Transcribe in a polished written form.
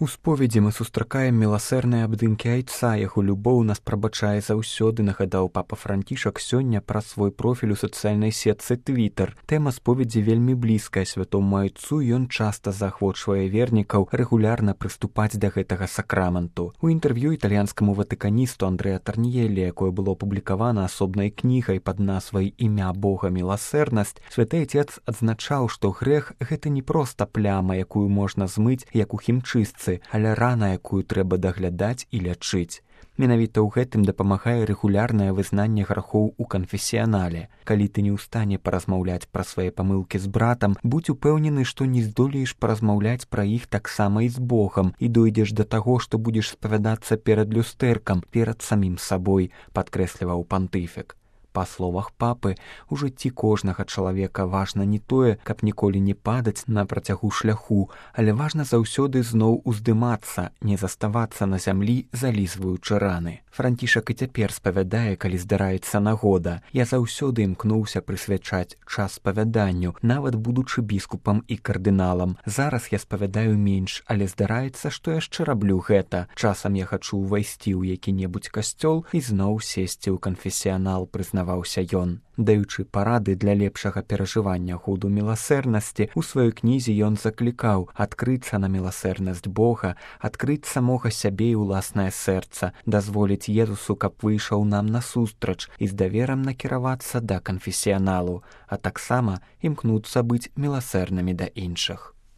У споведзі мы сустракаем міласэрныя абдымкі айца, яго любоў нас прабачае заўсёды, нагадаў папа Францішак сёння праз свой профіль у сацыяльнай сетцы Твітер. Тэма споведзі вельмі блізкая святому айцу, ён часта заахвочвае вернікаў рэгулярна прыступаць да гэтага сакраменту. У інтэрв'ю італьянскаму ватыканісту Андрэа Тарніелі, якое было апублікавана асобнай кнігай пад назвай «Імя Бога міласэрнасць», святы айцец адзначаў, што грэх – гэта не проста пляма, якую можна змыць, як у хімчыстцы, але рана, якую трэба даглядаць і лячыць. Менавіта ў гэтым дапамагае рэгулярнае вызнанне грахоў у канфесіянале. Калі ты не ў стане паразмаўляць пра свае памылкі з братам, будзь упэўнены, што не здолееш паразмаўляць пра іх таксама і з Богам, і дойдзеш да таго, што будзеш спавядацца перад люстэркам, перад самім сабой, падкрэсліваў пантыфік. Па словах папы, у жыцці кожнага чалавека важна не тое, каб ніколі не падаць на працягу шляху, але важна заўсёды зноў уздымацца, не заставацца на зямлі, залізваючы раны. Францішак і цяпер спавядае, калі здараецца нагода. Я заўсёды імкнуўся прысвячаць час спавяданню, нават будучы біскупам і кардыналам. Зараз я спавядаю менш, але здараецца, што яшчэ раблю гэта. Часам я хачу ўвайсці ў які-небудзь касцёл і зноў сесці ў канфесіянал, прызнаваўся ён. Даючы парады для лепшага перажывання году міласэрнасці, у сваёй кнізе ён заклікаў адкрыцца на міласэрнасць Бога, адкрыць самога сябе і ўласнае сэрца, дазволіць Езусу, каб выйшаў нам насустрач і з даверам накіравацца да канфесіяналу, а таксама імкнуцца быць міласэрнымі да іншых.